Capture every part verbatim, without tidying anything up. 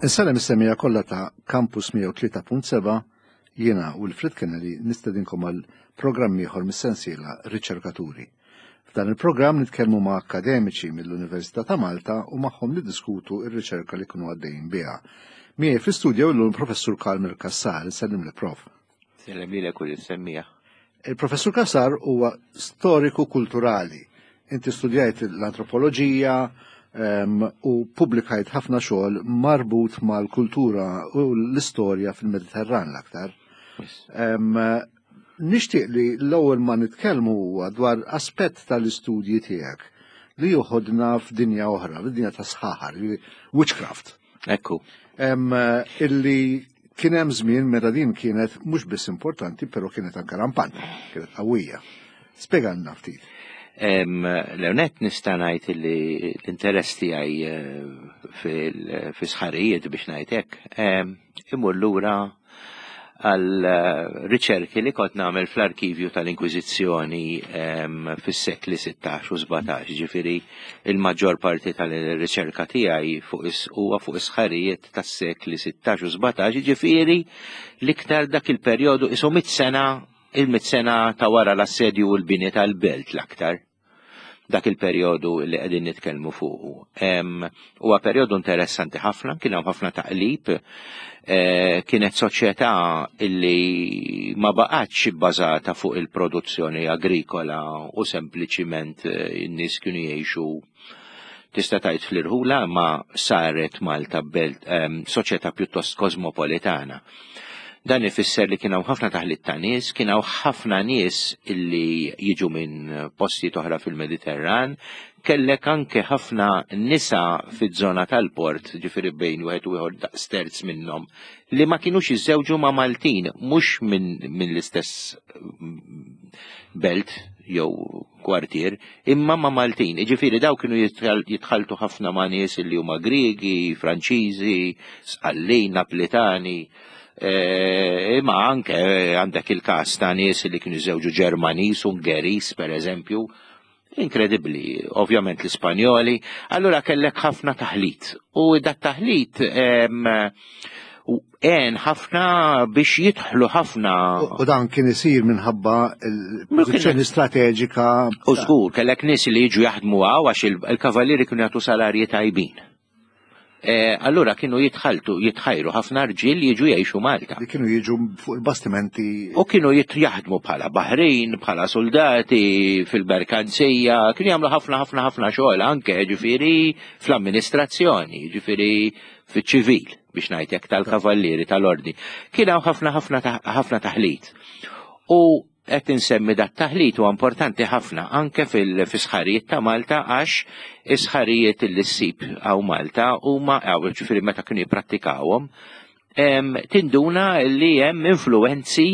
Insellem is-semmiegħa kollha ta' Campus mija u tlieta punt seba'. Jiena Wilfred Kennedy nistedinkom għal programm ieħor mis-sensiela Riċerkaturi. F'dan il-programm nitkellmu ma' akademiċi mill-Università ta' Malta u magħhom niddiskutu ir-riċerka li kunu għaddejjin biha. Miegħi fl-istudju llum Professur Carmel Cassar. Sellim li, Prof. Sellem lilek u lis-semmiegħa. Il-Professur Cassar huwa storiku kulturali. Inti studjajt l-antropoloġija u publikajt ħafna xogħol marbut mal-kultura u l-istorja fil-Mediterran l-aktar. Nixtieq li l-ewwel ma nitkellmu huwa dwar aspett tal-istudji tiegħek li joħodna f'dinja oħra, f'dinja ta' sħaħar, witchcraft. Ekku. Illi kien hemm żmien meta din kienet mhux biss importanti, però kienet anke rampanti, kienet qawwija. Spjegalna ftit. L-ewwelnett nista' ngħid li l-interess tiegħi eh, fis-sħarijiet, biex ngħid hekk, imur lura għal eh, riċerki li kont nagħmel fl-arkivju tal-Inkwiżizzjoni fis-sekli sittax u sbatax, ġifieri il-maġġor parti tal-riċerka tiegħi fuq huwa fuq is-sħarijiet tas-sekli sittax u sbatax, ġifieri l-iktar dak il-perjodu isu mit sena, il-mit sena ta' wara l-assedju u l-bini tal-belt l-aktar, dak il-perjodu li qegħdin nitkellmu fuqu. Huwa perjodu interessanti ħafna, kien hemm ħafna taqlib, eh, kienet soċjetà illi ma baqgħetx bbażata fuq il-produzzjoni agrikola u sempliċiment eh, in-nies kienu jgħixu, tista' tgħid, fl-irħula, ma saret Malta belt soċjetà pjuttost kosmopolitana. Dan ifisser li kien hawn ħafna taħlit ta' nies, kien hawn ħafna nies illi jiġu minn postijiet oħra fil-Mediterran, kellek anke ħafna nisa fiż-żona tal-port, ġifieri bejn wieħed u ieħor daqs terz minnhom, li ma kinux jiżżewġu ma' Maltin, mhux minn min l-istess belt jew kwartier, imma ma' Maltin. Ġifieri daw kienu jitħaltu ħafna ma' nies li huma Griegi, Franċiżi, Sqallin, Naplitani. E, imma anke għandek il-kas ta' nies li kienu żewġu Ġermanis, Ungeris, per eżempju, inkredibbli, ovvjament l-Ispanjoli, allura kellek ħafna taħlit. U dat taħlit għen ħafna biex jidħlu ħafna. U dan kien isir minħabba il-pożizzjoni strateġika. U żgur, kellek nies li jiġu jaħdmu hawn għax il-kavallieri kienu jagħtu salarji tajbin. E, allura kienu jitħaltu, jitħajru ħafna rġiel jiġu jgħixu Malta. Li kienu jiġu fuq il-bastimenti. U kienu jaħdmu bħala baħrin, bħala soldati, fil-merkanzija, kienu jagħmlu ħafna ħafna ħafna xogħol anke ġifieri fl-amministrazzjoni, ġifieri fiċ-ċivil, biex ngħidlek, tal-kavallieri tal-ordni. Kien hawn ħafna ħafna ħafna taħlit. U qed insemmi dat taħlit huwa importanti ħafna anke fil-sħarijiet ta' Malta, għax is-sħarijiet li ssib hawn Malta huma hawn, ġifieri meta kienu jipprattikawhom, tinduna li hemm influenzi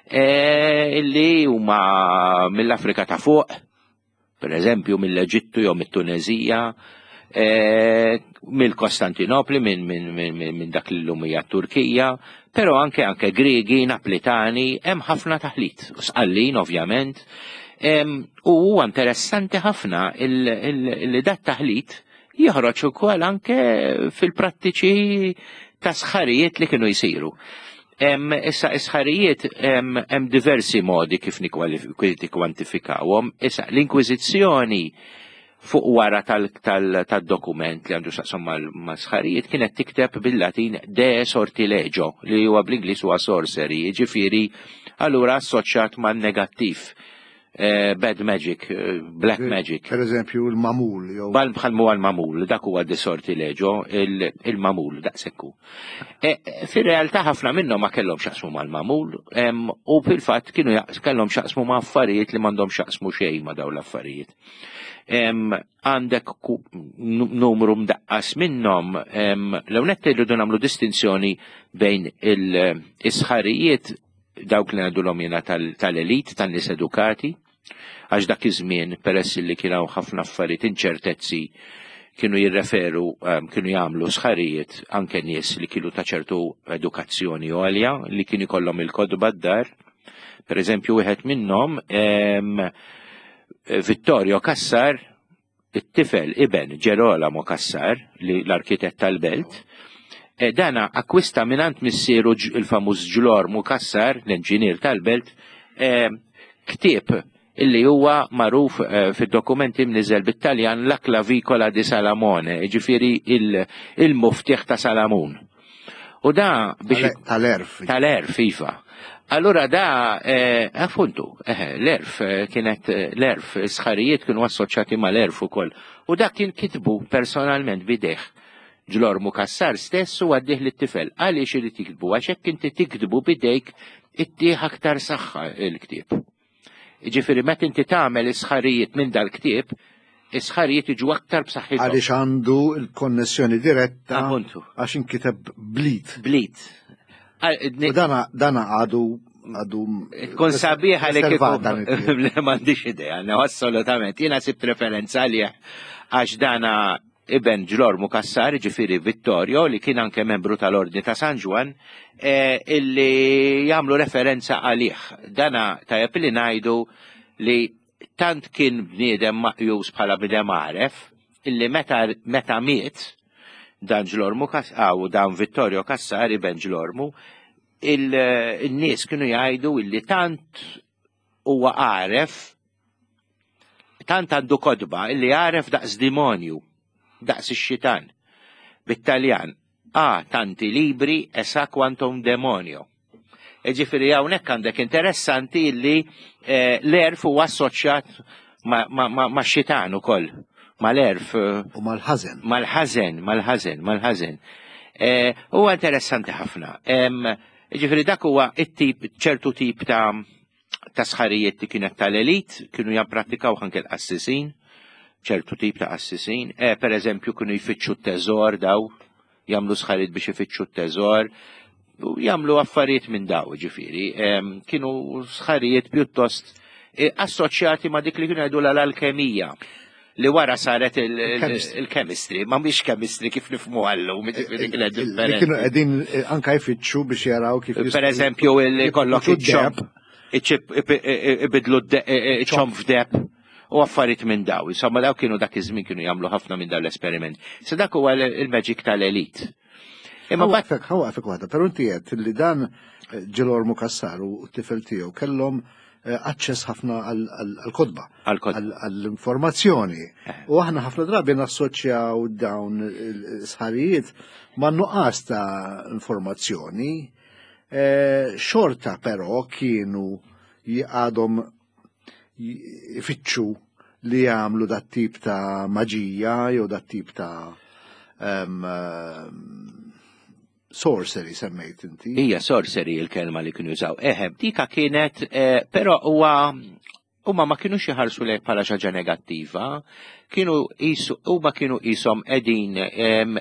eh, li huma mill-Afrika ta' fuq, per eżempju mill-Eġittu jew mit-Tunezija, eh, mill-Kostantinopli, minn min, min, min, min dak li llum hija Turkija, però anke anke Griegi, Naplitani, hemm ħafna taħlit, Sqallin ovvjament. U huwa interessanti ħafna li dat taħlit joħroġ ukoll anke fil-prattiċi ta' sħarijiet li kienu jsiru. Issa, is-sħarijiet hemm diversi modi kif nikkwantifikawhom. Issa, l-Inkwiżizzjoni fuq wara tal-dokument li għandu x'jaqsam ma' sħarijiet kienet tikteb bil-Latin "de sortilegio", li huwa bl-Ingliż huwa sorcery, ġifieri allura assoċjat ma' negattiv. Eh, bad magic, eh, black magic. Per eżempju, il-mamul. Bal bħal mu għal-mamul, dak huwa de sortilegio, il-mamul, daqsekku. E, fir-realtà ħafna minnhom ma kellhom x'jaqsmu mal-mamul, u fil-fatt kienu kellhom x'jaqsmu ma' affarijiet li m'għandhom x'jaqsmu xejn ma' dawn l-affarijiet. Għandek numru mdaqqas minnhom. L-ewwelnett irridu nagħmlu distinzjoni bejn il-sħarijiet dawk li ngħidulhom jiena tal-elit, tan-nies edukati, għax dak iż-żmien, peress li kien hawn ħafna affarijiet inċertezzi, kienu jirreferu, kienu jagħmlu sħarijiet anke nies li kienu ta' ċertu edukazzjoni għolja, li kienu jkollhom il-kotba d-dar. Per eżempju, wieħed minnhom, Vittorio Cassar, it-tifel iben Gerolamo Cassar, li l-arkitett tal-belt, Eh, dana akkwista mingħand missieru il-famuż Ġlormu Cassar, l-inġinier tal-belt, eh, ktieb illi huwa magħruf eh, fid-dokumenti mniżel bit-Taljan La Clavicola di Salamone, ġifieri il-muftieħ ta' Salamun. U da biex tal-erf. Tal-erf, iva. Allura da, eh, appuntu, eh, l-erf eh, kienet l-erf, sħarijiet kienu assoċjati mal-erf ukoll. U da kien kitbu personalment bidejh. Ġlormu Cassar stess u għaddih lit-tifel. Għaliex irid jiktbu? Għax hekk inti tiktbu bidejk ittih aktar saħħa il-ktieb. Ġifieri meta inti tagħmel is-sħarijiet minn dal-ktieb, is-sħarijiet jiġu aktar b'saħħithom. Għaliex għandu l-konnessjoni diretta għax inkiteb blit. Blit. U dana dana għadu għadu Tkun sabiħa li kieku. M'għandix idea, assolutament. Jiena sibt referenza għalih għax dana iben Ġlormu Cassar, ġifieri Vittorio, li kien anke membru tal-Ordni ta' San Ġwann, eh, illi jagħmlu referenza għalih. Dana tajjeb li ngħidu li tant kien bniedem maqjus bħala bniedem għaref, illi meta, meta miet dan Ġlormu Cassar, dan Vittorio Cassar, iben Ġlormu, il-nies kienu jgħidu illi tant huwa għaref, tant għandu kotba illi għaref daqs demonju, daqs ix-xitan. Bit-Taljan, ha tanti libri e sa quanto un demonio. E ġifieri hawnhekk għandek interessanti illi eh, l-erf huwa assoċjat ma', ma, ma, ma xitan ukoll, mal-erf. U mal-ħażen. Mal-ħażen, mal-ħażen, mal-ħażen. Eh, huwa interessanti ħafna. Ġifieri dak huwa it-tip, ċertu tip ta' ta' sħarijiet li kienet tal-elit, kienu japprattikaw anke l-qassisin, ċertu tip ta' qassisin. Eh, per eżempju, kienu jfittxu t-teżor daw, jagħmlu sħarijiet biex ifittxu t-teżor, u jagħmlu affarijiet minn daw, ġifieri. Kienu sħarijiet pjuttost eh, assoċjati ma' dik li kienu jgħidu l-alkemija, li wara saret il-chemistry, ma mhix chemistry kif nifhmu għallum, ġifieri kienet differenti. Kienu qegħdin anka jfittxu biex jaraw kif. Per eżempju, kollok iċ-ċomb, ibidlu ċomb f'deheb u affarijiet minn daw. Insomma, daw kienu dak iż-żmien kienu jagħmlu ħafna minn daw l-esperiment. Se dak huwa il-magic tal-elit. Imma waqfek, waqfek waħda, però inti qed li dan Ġelormu Cassar u t-tifel tiegħu kellhom aċċess ħafna għal-kotba, għall-informazzjoni. U aħna ħafna drabi nassoċjaw dawn il-sħarijiet ma' nuqqas ta' informazzjoni. Xorta però kienu għadhom ifittxu li jagħmlu dat tip ta' maġija jew dat tip ta' sorcery semmejt inti. Hija sorcery il-kelma li kienu jużaw. Eħe, dika kienet, eh, però huwa huma ma kienux jħarsu lejh bħala xi ħaġa negattiva, kienu huma kienu qishom qegħdin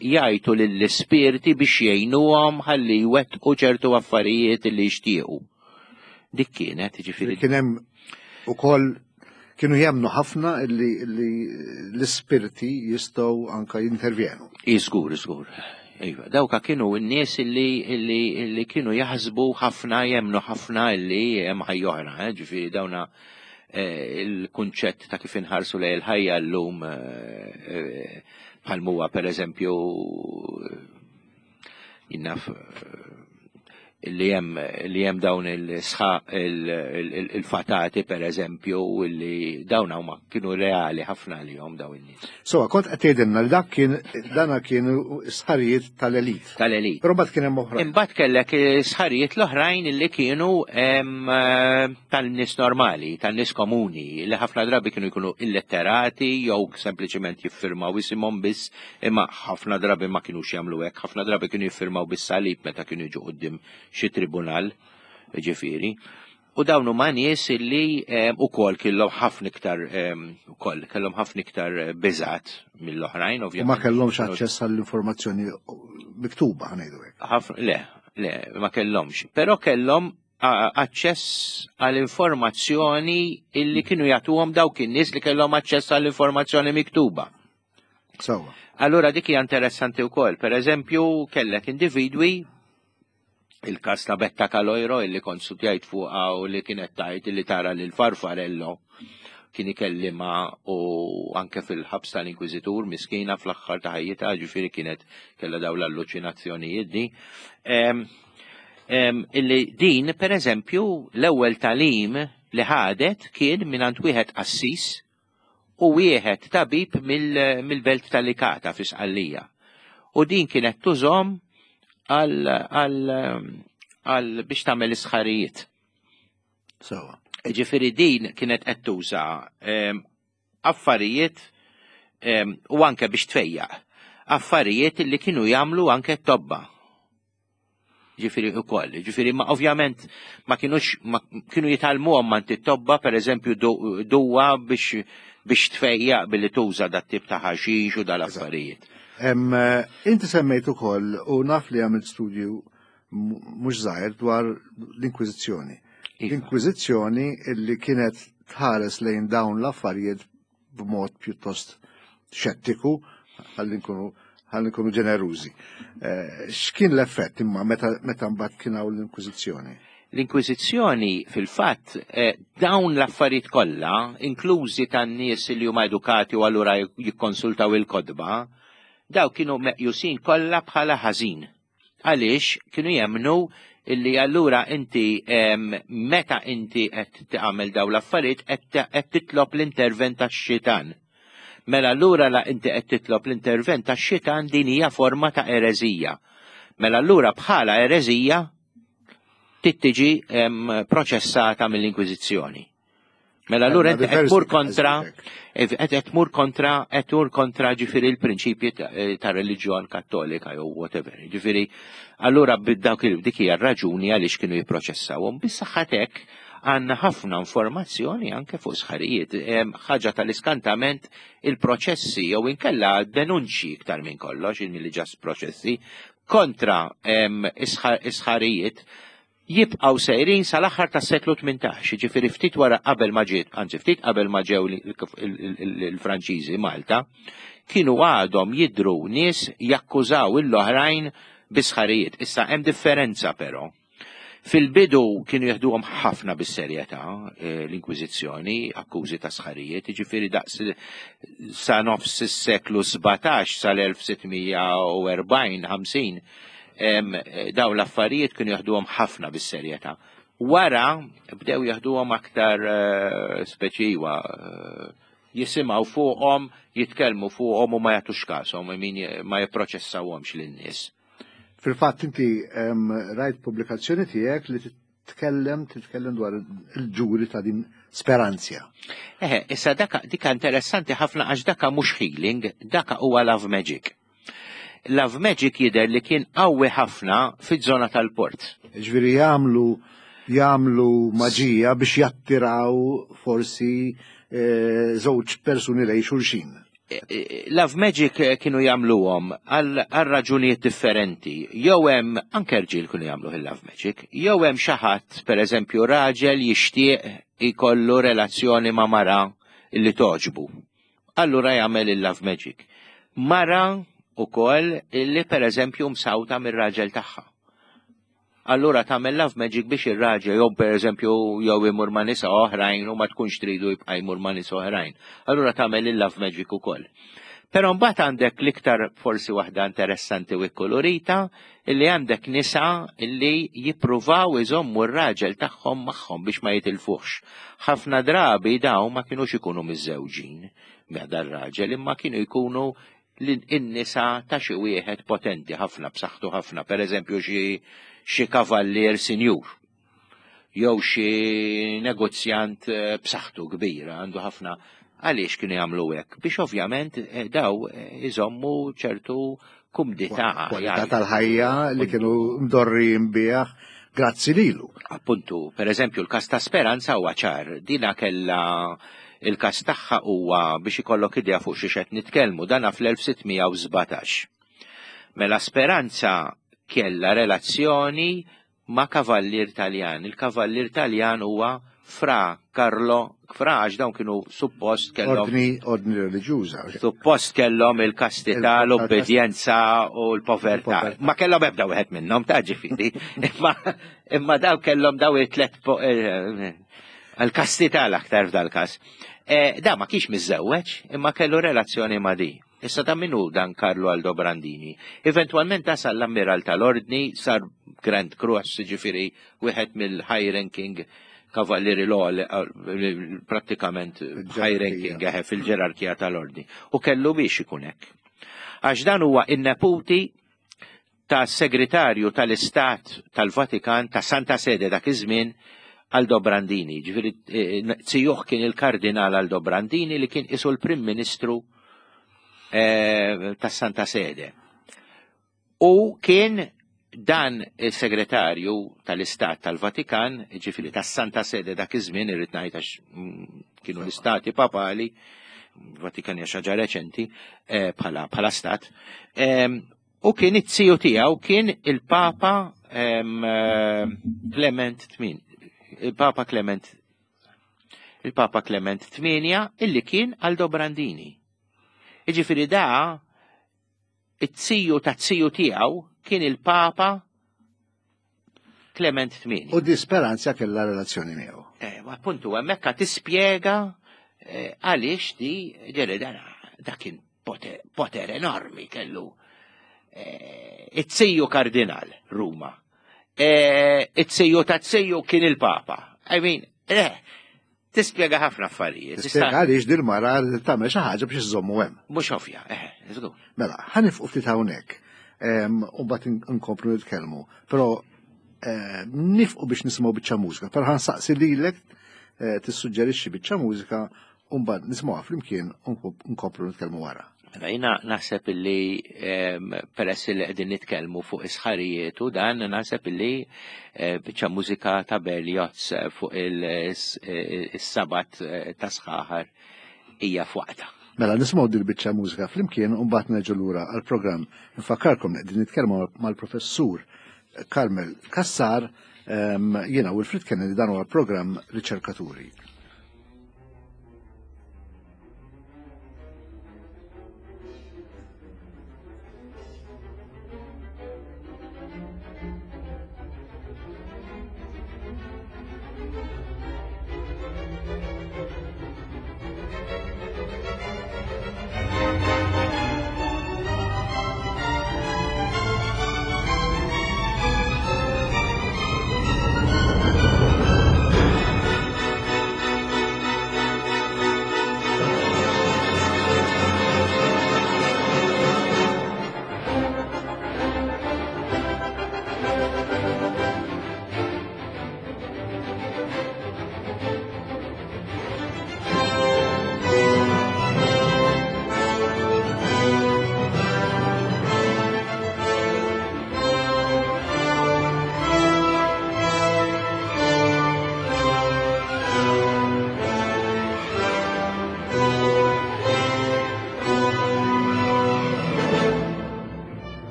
jgħajtu lill-ispirti biex jgħinuhom ħalli jwettqu ċertu affarijiet li jixtiequ. Dik kienet, ġifieri. Kien hemm ukoll kienu jemnu ħafna li l-ispirti jistgħu anka jintervjenu. Iżgur, iżgur. Iva, dawka kienu n-nies illi, illi, illi kienu jaħsbu ħafna, jemnu ħafna illi hemm ħajja oħra, eh? Ġifieri dawna eh, il-kunċett ta' kif inħarsu lejn il-ħajja llum eh, bħal huwa per eżempju jinnaf li hemm li hemm dawn il-sħaq il-fatati per eżempju li dawn huma kienu reali ħafna lihom dawn in-nies. So, kont qed tgħidilna li dak kien dana kienu sħarijiet tal-elit. Tal-elit. Però mbagħad kien hemm oħrajn. Imbagħad kellek sħarijiet l-oħrajn li kienu tal-nies normali, tan-nies komuni, li ħafna drabi kienu jkunu illetterati jew sempliċement jiffirmaw isimhom biss, imma ħafna drabi ma kinux jagħmlu hekk, ħafna drabi kienu jiffirmaw bis-salib meta kienu jiġu quddiem xi tribunal, ġifieri. U dawn huma nies illi ukoll kellhom ħafna iktar ukoll kellhom ħafna iktar biżgħat mill-oħrajn, ovvjament. U ma kellhomx aċċess għall-informazzjoni miktuba, ħanejdu hekk. Ħafna, le, le, ma kellhomx. Però kellhom aċċess għall-informazzjoni illi kienu jagħtuhom dawk in-nies li kellhom aċċess għall-informazzjoni miktuba. Sewwa. Allura dik hija interessanti wkoll. Per eżempju, kellek individwi, il-kas ta' Betta Caloiro illi kont studjajt fuqha u li kienet tajt illi tara lil Farfarello kien ikellimha u anke fil-ħabs tal-Inkwiżitur miskina fl-aħħar ta' ħajjitha, ġifieri kienet kellha dawn l-alluċinazzjonijiet di. Em, em, illi din, per eżempju, l-ewwel tagħlim li ħadet kien mingħand wieħed qassis u wieħed tabib mill- mill-belt tal-Likata fi Sqallija. U din kienet tużahom għal għal għal biex tagħmel isħarijiet. Sewwa. Ġifieri din kienet qed tuża em, affarijiet em, u anke biex tfejjaq. Affarijiet li kienu jagħmlu anke t-tobba. Ġifieri ukoll, ġifieri ma ovvjament ma kienux ma kienu jitgħallmuhom mingħand it-tobba, per eżempju du- duwa biex biex tfejjaq billi tuża dat tip ta' ħaxix u dal-affarijiet. Em, eh, Inti semmejt ukoll u naf li għamilt studju m- mhux żgħir dwar l-Inkwiżizzjoni. Iva. L-Inkwiżizzjoni illi kienet tħares lejn dawn l-affarijiet b'mod pjuttost xettiku, ħalli nkunu ħalli nkunu ġenerużi. Eh, X'kien l-effett imma meta meta mbagħad kien hawn l-Inkwiżizzjoni? L-Inkwiżizzjoni fil-fatt eh, dawn l-affarijiet kollha, inklużi tan-nies li huma edukati u allura jikkonsultaw il-kotba, daw kienu meqjusin kollha bħala ħażin. Għaliex kienu jemnu illi allura inti em, meta inti qed tagħmel dawn l-affarijiet qed qed titlob l-intervent tax-xitan. Mela allura la inti qed titlob l-intervent tax-xitan din hija forma ta' ereżija. Mela allura bħala ereżija trid tiġi em, proċessata mill-Inkwiżizzjoni. Mela allura inti qed tmur kontra qed qed tmur kontra qed tmur kontra ġifieri l-prinċipji ta' ta' reliġjon kattolika jew whatever. Ġifieri allura bid-dawk il dik hija r-raġuni għaliex kienu jipproċessawhom. Bis-saħħatek għandna ħafna informazzjoni anke fuq sħarijiet. Em, Ħaġa tal-iskantament il-proċessi jew inkella denunċi iktar minn kollox, milli just proċessi kontra em, isħa- isħarijiet jibqaw sejrin sal-aħħar tas-seklu tmintax, ġifieri ftit wara qabel ma ġiet, anzi ftit qabel ma ġew il-Franċiżi Malta, kienu għadhom jidru nies jakkużaw l-oħrajn bisħarijiet. Issa hemm differenza però. Fil-bidu kienu jeħduhom ħafna bis-serjetà eh, l-Inkwiżizzjoni, akkużi ta' sħarijiet, ġifieri daqs sa nofs is-seklu sbatax sal-elf sitt mija u erbgħin ħamsin em, dawn l-affarijiet kienu jeħduhom ħafna bis-serjetà. Wara bdew jeħduhom aktar eh, speċiwa eh, jisimgħu fuqhom, jitkellmu fuqhom u ma jagħtux kashom, min ma jipproċessawhomx lin-nies. Fil-fatt inti em, rajt pubblikazzjoni tiegħek li titkellem titkellem dwar il-ġuri ta' din Speranzja. Eħe, issa daka dika interessanti ħafna għax daka mhux healing, daka huwa love magic. Love magic jidher li kien qawwi ħafna fiż-żona tal-port. Ġifieri jagħmlu jagħmlu maġija biex jattiraw forsi eh, żewġ persuni lejn xulxin. E, e, Love magic eh, kienu jagħmluhom għal għal raġunijiet differenti. Jew hemm anke rġiel kienu jagħmlu il-love magic, jew hemm xi ħadd, pereżempju raġel jixtieq ikollu relazzjoni ma' mara illi togħġbu. Allura jagħmel il-love magic. Mara ukoll illi pereżempju msawta mir-raġel tagħha. Allura tagħmel love magic biex ir-raġel jew pereżempju jew imur ma' nisa oħrajn u ma tkunx tridu jibqa' jmur ma' nisa oħrajn. Allura tagħmel il-love magic ukoll. Però mbagħad għandek l-iktar forsi waħda interessanti u kolorita illi għandek nisa illi jippruvaw iżommu r-raġel tagħhom magħhom biex ma jitilfuhx. Ħafna drabi dawn ma kienux ikunu miżżewġin ma' dar-raġel imma kienu jkunu l-nisa ta' xi wieħed potenti ħafna b'saħħtu ħafna, per eżempju xi xi kavallier sinjur jew xi negozjant eh, b'saħħtu kbira għandu ħafna. Għaliex kienu jagħmlu hekk? Biex ovvjament eh, daw eh, iżommu ċertu kumdità. Kwalità tal-ħajja li kienu mdorrijin biha grazzi lilu. Appuntu, per eżempju, l-kas ta' Speranza huwa ċar, dina kella il-kas tagħha huwa biex ikollok idea fuq xi qed nitkellmu dana fl-elf sitt mija u sbatax. Mela Speranza kella relazzjoni ma' kavallier Taljan. Il-kavallier Taljan huwa Fra Carlo, Fra għax dawn kienu suppost kellhom Ordni, ordni reliġjuża. Suppost kellhom il-kastità, Il- l-obbedjenza u l-povertà. Il-povertà. Ma kellhom ebda wieħed minnhom ta' ġifieri. Imma imma daw kellhom daw it-tlet po- eh, Għal-kastità l-aktar f'dal-każ. Eh, da ma kienx miżżewweġ, imma kellu relazzjoni ma' di. Issa ta' minu dan Carlo Aldobrandini. Eventualment tasal l-ammiral tal-ordni, sar Grand Cross, ġifieri, wieħed mill-high ranking kavallieri l prattikament high ranking eħe fil-ġerarkija tal-ordni. U kellu biex ikun hekk. Għax dan huwa in-neputi ta' segretarju tal-Istat tal-Vatikan ta' Santa Sede dak iż-żmien Aldobrandini. Ġifieri eh, zijuh kien il-kardinal Aldobrandini li kien isu l-Prim Ministru eh, ta' Santa Sede. U kien dan il-segretarju tal-Istat tal-Vatikan, ġifieri tas Santa Sede dak iż-żmien irrid ngħid għax mm, kienu l-istati papali, Vatikan hija xi ħaġa reċenti eh, bħala bħala stat, em, u kien it-ziju tiegħu kien il-Papa em, eh, Clement tmin, il-Papa Clement il-Papa Clement tmienja illi kien Aldobrandini. Iġifieri da it-ziju ta' ziju tiegħu kien il-Papa Clement tmienja. U di Speranza kellha relazzjoni miegħu. Eh, ma appuntu hemmhekk tispjega eh, għaliex di ġeri dan da kien poter, poter enormi kellu. Eh, it-ziju kardinal Ruma. Eh, it-ziju ta' ziju kien il-Papa. I mean, eh, tispjega ħafna affarijiet. Tispjega għaliex dil-mara tagħmel xi ħaġa biex iżommu hemm. Mhux ovvja, eh, żgur. Mela, ħa nieqfu ftit hawnhekk. Em, U mbagħad nkomplu nitkellmu. Però eh, nieqfu biex nisimgħu biċċa mużika. Però ħa nsaqsi lilek eh, tissuġġerixxi biċċa mużika u mbagħad nisimgħuha flimkien u nkomplu nitkellmu wara. Mela jiena naħseb illi em, peress li qegħdin nitkellmu fuq is-sħarijiet u dan naħseb illi eh, biċċa mużika ta' Berlioz eh, fuq il-sabat ta' sħaħar hija f'waqtha. Mela nisimgħu dil biċċa mużika flimkien u mbagħad nerġgħu lura għall-programm. Nfakkarkom li qegħdin nitkellmu mal-professur Carmel Cassar, em, jiena Wilfred Kennedy, dan huwa programm Riċerkaturi.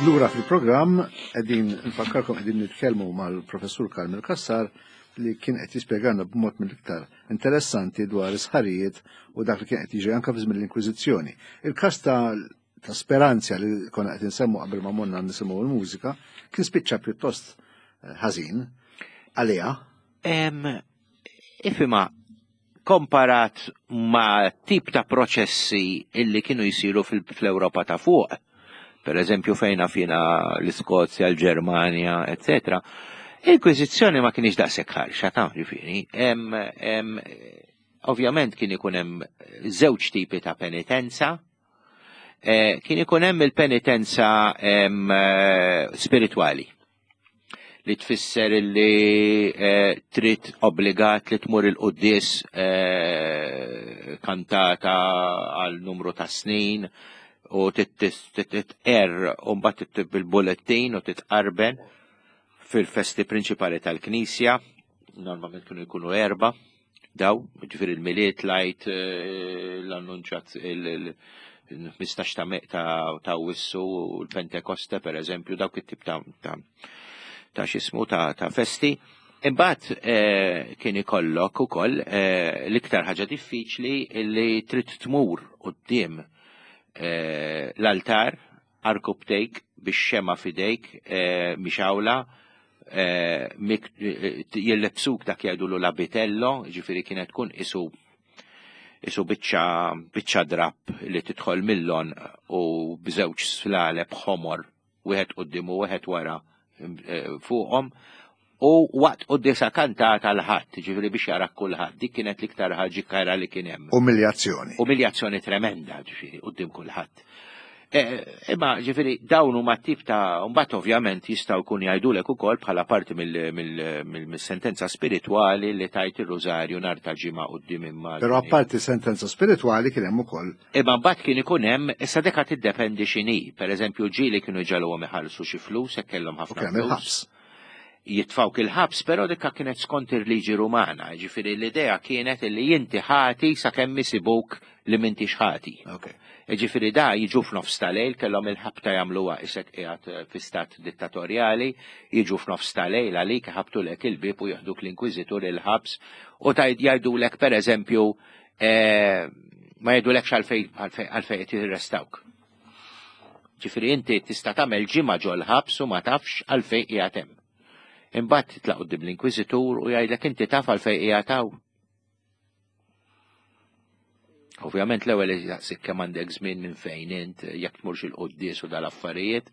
Lura fil-programm, qegħdin nfakkarkom qegħdin nitkellmu mal-professur Carmel Cassar li kien qed jispjegana b'mod mill-iktar interessanti dwar is-sħarijiet u dak li kien qed jiġri anke fi żmien l-Inkwiżizzjoni. Il-każ ta' ta' Speranzja li konna qed insemmu qabel ma morna nisimgħu l-mużika kien spiċċa pjuttost ħażin għaliha. Ifhimha, komparat ma' tip ta' proċessi illi kienu jisiru fl-Ewropa ta' fuq, per eżempju fejna fina l-Iskozja, l-Ġermanja, eccetera, l-Inkwiżizzjoni ma kienx daqshekk ħarxa ta' ġifieri. Ovvjament kien ikun hemm żewġ tipi ta' penitenza. Eh, kien ikun hemm il-penitenza eh, spiritwali li tfisser li eh, trid obbligat li tmur il-quddies kantata għal numru ta' snin u titqer u mbagħad bil-bullettin u titqarben fil-festi prinċipali tal-Knisja, normalment kienu jkunu erba, daw, ġifieri il-Milied, l-Għid, l-Annunċat, il-ħmistax ta' Awwissu, l-Pentekoste, per eżempju, dawk it-tip ta' ta' xismu ta' festi. Imbagħad eh, kien ikollok ukoll eh, l-iktar ħaġa diffiċli li trid tmur quddiem eh, l-altar għarkupptejk bix-xemgħa f'idejk mixgħula, jillebsuk dak jgħidulu l-abitello, ġifieri kienet tkun isu isu biċċa biċċa drap li tidħol mill-għonq u b'żewġ slaleb ħomor, wieħed quddiem u wieħed wara fuqhom, u waqt quddiesa kantata l-Ħadd, ġifieri biex jarak kulħadd. Dik kienet l-iktar ħaġa kerha li kien hemm. Umiljazzjoni. Umiljazzjoni tremenda, ġifieri, quddiem kulħadd. Imma ġifieri dawn huma tip ta' mbagħad ovvjament jistgħu jkun jgħidulek ukoll bħala parti mill-sentenza spiritwali li tajt ir-rużarju nhar ta' Ġimgħa quddiem immaġni. Però apparti sentenza spiritwali kien hemm ukoll. Imma mbagħad kien ikun hemm, issa deka tiddependi x'inhi. Per eżempju, ġieli kienu jġagħluhom iħallsu xi flus hekk kellhom ħafna flus. Jitfawk il-ħabs, però dikka kienet skont il-liġi Rumana, ġifieri l-idea kienet li inti ħati sakemm isibuk li m'intix ħati. Ġifieri da jiġu f'nofs tal-lejl, kellhom il-ħabta jagħmluha isek qiegħed fi stat dittatorjali, jiġu f'nofs tal-lejl għalik, ħabtulek il-bib u jaħduk l-inkwiżitur il-ħabs u tgħid jgħidulek, per eżempju, eh, ma jgħidulekx għalfejn għalfejn qed jirrestawk. Ġifieri inti tista' tagħmel ġimgħa ġol-ħabs u ma tafx għalfejn qiegħed hemm. Imbagħad titlaq quddiem l-inkwiżitur u jgħidlek, "Inti taf għalfejn qiegħed hawn?" Ovvjament l-ewwel jaqsik kemm għandek żmien, minn fejn int, jekk tmurx il-quddies u dal-affarijiet.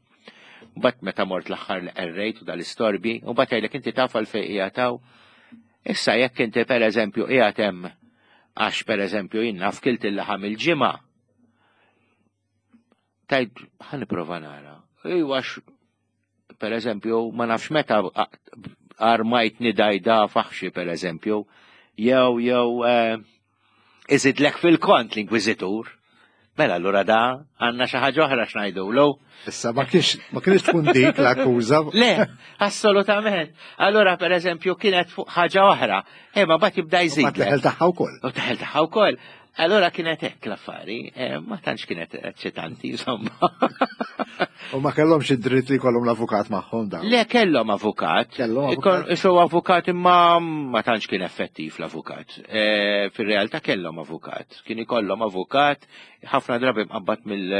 Mbagħad meta mort l-aħħar li qerrejt u dal-istorbi, u mbagħad jgħidlek, "Inti taf għalfejn qiegħed hawn?" Issa jekk inti, pereżempju, qiegħed hemm għax, pereżempju, jien naf, kilt il-laħam il-Ġimgħa. Tgħid, "Ħa nipprova nara." Iwa, per eżempju, ma nafx meta armajt nidajda faħxi, per eżempju, jew jew eh, iżidlek fil-kont l-inkwiżitur. Mela allura da għandna xi ħaġa oħra x'ngħidulu. Issa ma kienx ma kienx tkun dik l-akkuża. Le, assolutament. Allura, per eżempju, kienet fuq ħaġa oħra. Imma mbagħad jibda jżid. Ma teħel tagħha wkoll. U teħel tagħha wkoll. Allora kienet hekk l-affari, eh, ma tantx kienet eċċitanti, insomma. U ma kellhomx id-dritt li jkollhom l-avukat magħhom dawn? Le, kellhom avukat. Kellhom avukat. Isu avukat, imma ma tantx kien effettiv l-avukat. Eh, fir-realtà kellhom avukat. Kien ikollhom avukat ħafna drabi mqabbad mill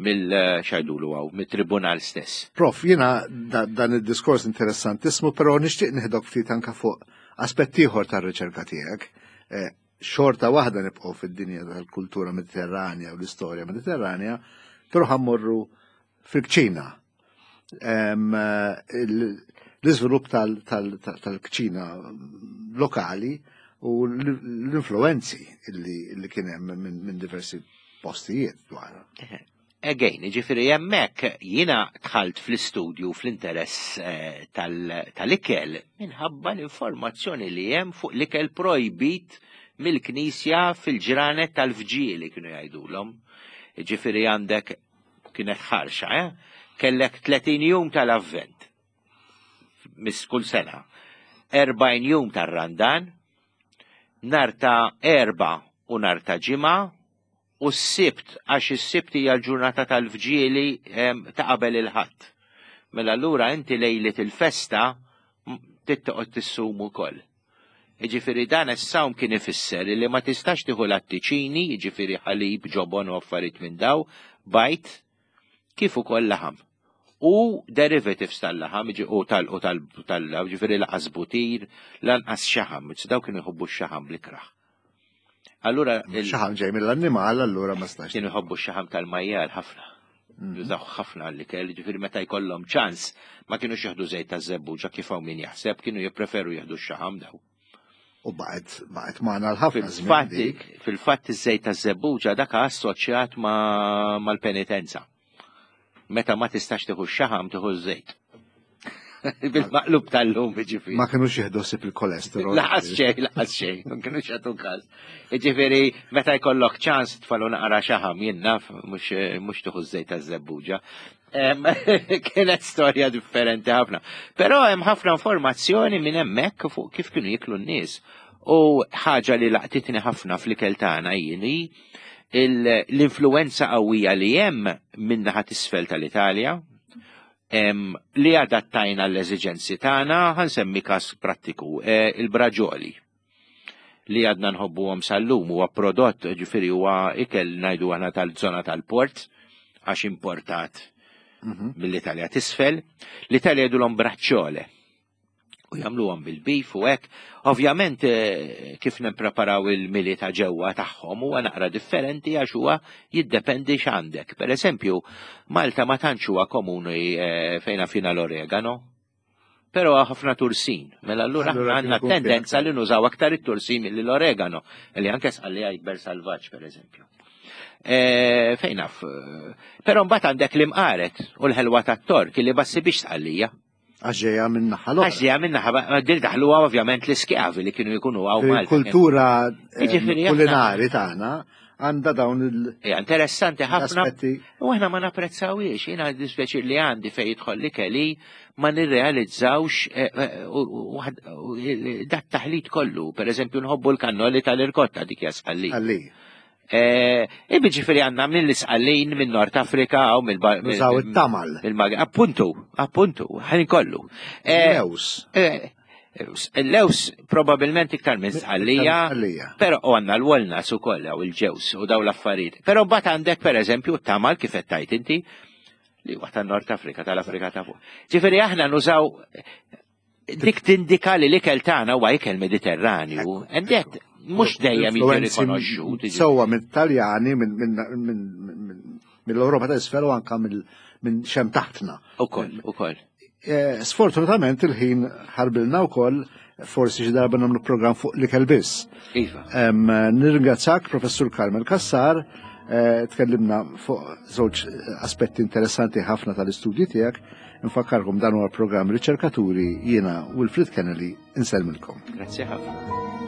mill x'jgħidulu hawn, mit-tribunal stess. Prof, jiena dan id-diskors interessantissimu, però nixtieq nieħdok ftit anka fuq aspett ieħor tar-riċerka tiegħek. Eh, xorta waħda nibqgħu fid-dinja tal-kultura Mediterranja u l-istorja Mediterranja, però ħa mmorru fil-kċina. L-iżvilupp tal-kċina lokali u l-influenzi li kien hemm minn diversi postijiet dwar. Again, ġifieri hemmhekk jiena dħalt fl-istudju, fl-interess eh, tal-ikel minħabba l-informazzjoni li hemm fuq l-ikel projbit mill-Knisja fil-ġranet tal-vġili, kienu jgħidulhom. Ġifieri għandek kienet ħarxa, eh? Kellek tletin jum tal-Avvent, mis kull sena, erbgħin jum tar-Randan, nhar ta' Erbgħa u nhar ta' Ġimgħa, u s-Sibt, għax is-Sibt hija l-ġurnata tal-vġili ta' qabel il-Ħadd. Mela allura inti lejlet il-festa trid tissum ukoll. Ġifieri dan is-sawm kien ifisser li ma tistax tieħu lattiċini, ġifieri ħalib, ġobon u affarijiet minn daw, bajd, kif ukoll laħam. U derivatives tal-laħam, u tal u tal tal ġifieri lanqas butir, lanqas xaħam, daw kienu jħobbu x-xaħam bl-ikrah. Allura xaħam ġej mill-annimal, allura ma stax. Kienu jħobbu x-xaħam tal-majjal ħafna. Mm. Jużaw ħafna għall-ikel, ġifieri meta jkollhom ċans ma kienux jieħdu żejt ta' żebbuġa kif hawn min jaħseb, kienu jippreferu jieħdu x-xaħam daw. U baqgħet baqgħet magħna l-ħafna żmien. Fil-fatt iż-żejt ta' żebbuġa dak assoċjat mal-penitenza. Meta ma tistax tieħu x-xaħam tieħu ż-żejt. Bil-maqlub tal-lum, ġifieri. Ma kinux jieħdu ħsieb il-kolesterol. Lanqas xejn, lanqas xejn, ma kinux jagħtu każ. Ġifieri meta jkollok ċans tfalu naqra xaħam jien naf mhux tieħu ż-żejt taż-żebbuġa. Kienet storja differenti ħafna. Però hemm ħafna informazzjoni minn hemmhekk fuq kif kienu jiklu n-nies. U ħaġa li laqtitni ħafna fl-ikel tagħna jien l-influenza qawwija li hemm min-naħa t'isfel tal-Italja, li adattajna l-eżiġenzi tagħna, ħa nsemmi każ prattiku, il-braġoli li għadna nħobbuhom sal-lum huwa prodott, ġifieri huwa ikel ngħidu aħna tal-żona tal-port għax importat mill-Italja t'isfel. L-Italja jgħidulhom braċċole u jagħmluhom bil-beef u hekk. Ovvjament kif nippreparaw il-mili ta' ġewwa tagħhom huwa naqra differenti għax huwa jiddependi x'għandek. Per eżempju, Malta ma tantx huwa komuni fejn fina l-oregano, però ħafna tursin. Mela allura għandna tendenza li nużaw aktar it-tursin milli l-oregano, li anke Sqallija jikber salvaġġ per eżempju. Fejn naf. Però mbagħad għandek l-imqaret u l-ħelwa tat-tork li bassi biex Sqallija. Għax ġejja minn naħa l-oħra. Għax ġejja minn naħa, dil daħluha ovvjament l-iskjavi li kienu jkunu hawn Malta. Il-kultura kulinari tagħna għandha dawn il- Hija interessanti ħafna. U aħna ma napprezzawhiex, jiena dispjaċir li għandi fejn jidħol l-ikel ma nirrealizzawx dat taħlit kollu. Per eżempju nħobbu l-kannoli tal-irkotta dik hija Sqallija. Ġifieri għandna mill-Isqallin minn Nord Afrika u mill Nużaw it-tamal. Appuntu, appuntu, ħin kollu. Lews. Il-lews probabilment iktar minn Sqallija, però u għandna l-walnuts ukoll u il-ġews u daw l-affarijiet. Però mbagħad għandek pereżempju t-tamal kif qed tgħid inti li huwa tan-Nord Afrika, tal-Afrika ta' fuq. Ġifieri aħna nużaw dik tindika li l-ikel tagħna huwa ikel Mediterranju. And that mhux dejjem jiġi rikonoxxut. Sewwa mit-Taljani, mill-Ewropa ta' isfel u anke minn xem taħtna. Ukoll, ukoll. Sfortunatament il-ħin ħarbilna wkoll, forsi xi darba nagħmlu programm fuq l-ikel biss. Iva. Nirringrazzjak Professur Carmel Cassar, tkellimna fuq żewġ aspetti interessanti ħafna tal-istudji tiegħek. Nfakkarkom dan huwa programm Riċerkaturi, jiena Wilfred Kennelly insellmilkom. Grazzi ħafna.